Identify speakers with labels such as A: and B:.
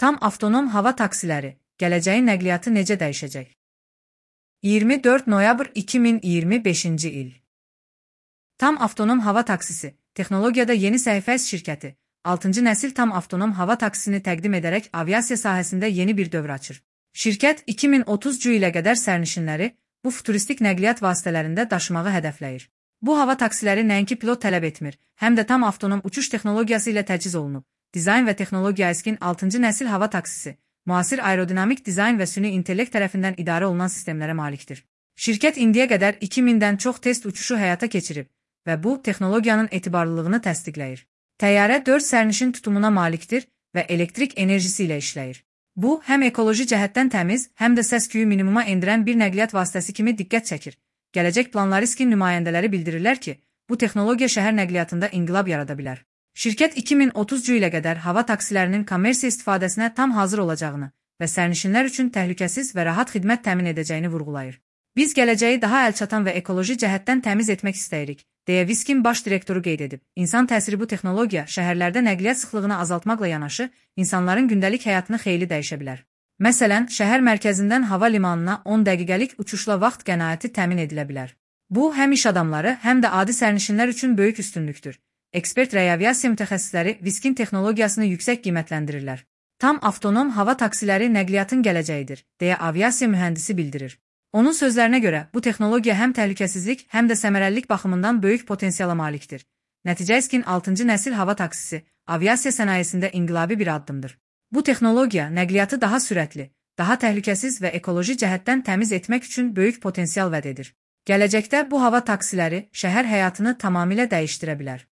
A: Tam avtonom hava taksiləri, gələcəyin nəqliyyatı necə dəyişəcək? 24 noyabr 2025-ci il. Tam avtonom hava taksisi, texnologiyada yeni səhifə şirkəti, 6-cı nəsil tam avtonom hava taksisini təqdim edərək aviasiya sahəsində yeni bir dövr açır. Şirkət 2030-cu ilə qədər sərnişinləri bu futuristik nəqliyyat vasitələrində daşımağı hədəfləyir. Bu hava taksiləri nəinki pilot tələb etmir, həm də tam avtonom uçuş texnologiyası ilə təchiz olunub. Dizayn və texnologiya əskin 6-cı nəsil hava taksisi, müasir aerodinamik dizayn və süni intellekt tərəfindən idarə olunan sistemlərə malikdir. Şirkət indiyə qədər 2000-dən çox test uçuşu həyata keçirib və bu, texnologiyanın etibarlılığını təsdiqləyir. Təyyarə 4 sərnişin tutumuna malikdir və elektrik enerjisi ilə işləyir. Bu, həm ekoloji cəhətdən təmiz, həm də səs-küyü minimuma endirən bir nəqliyyat vasitəsi kimi diqqət çəkir. Gələcək planları riskin nümayəndələri bildirirlər ki, bu texnologiya şəhər nəqliyyatında inqilab yarada bilər. Şirkət 2030-cu ilə qədər hava taksilərinin kommersiya istifadəsinə tam hazır olacağını və sərnişinlər üçün təhlükəsiz və rahat xidmət təmin edəcəyini vurğulayır. Biz gələcəyi daha əlçatan və ekoloji cəhətdən təmiz etmək istəyirik, deyə Viskin baş direktoru qeyd edib. İnsan təsiri bu texnologiya şəhərlərdə nəqliyyat sıxlığını azaltmaqla yanaşı, insanların gündəlik həyatını xeyli dəyişə bilər. Məsələn, şəhər mərkəzindən hava limanına 10 dəqiqəlik uçuşla vaxt qənaəti təmin edilə bilər. Bu, həm iş adamları, həm də adi sərnişinlər üçün böyük üstünlükdür. Ekspert və aviasiya mütəxəssisləri Viskin texnologiyasını yüksək qiymətləndirirlər. Tam avtonom hava taksiləri nəqliyyatın gələcəyidir, deyə aviasiya mühəndisi bildirir. Onun sözlərinə görə, bu texnologiya həm təhlükəsizlik, həm də səmərəlilik baxımından böyük potensiala malikdir. Nəticə Viskin 6-cı nəsil hava taksisi, aviasiya sənayesində inqilabi bir addımdır. Bu texnologiya nəqliyyatı daha sürətli, daha təhlükəsiz və ekoloji cəhətdən təmiz etmək üçün böyük potensial vəd edir. Gələcəkdə bu hava taksiləri şəhər həyatını tamamilə dəyişdirə bilər.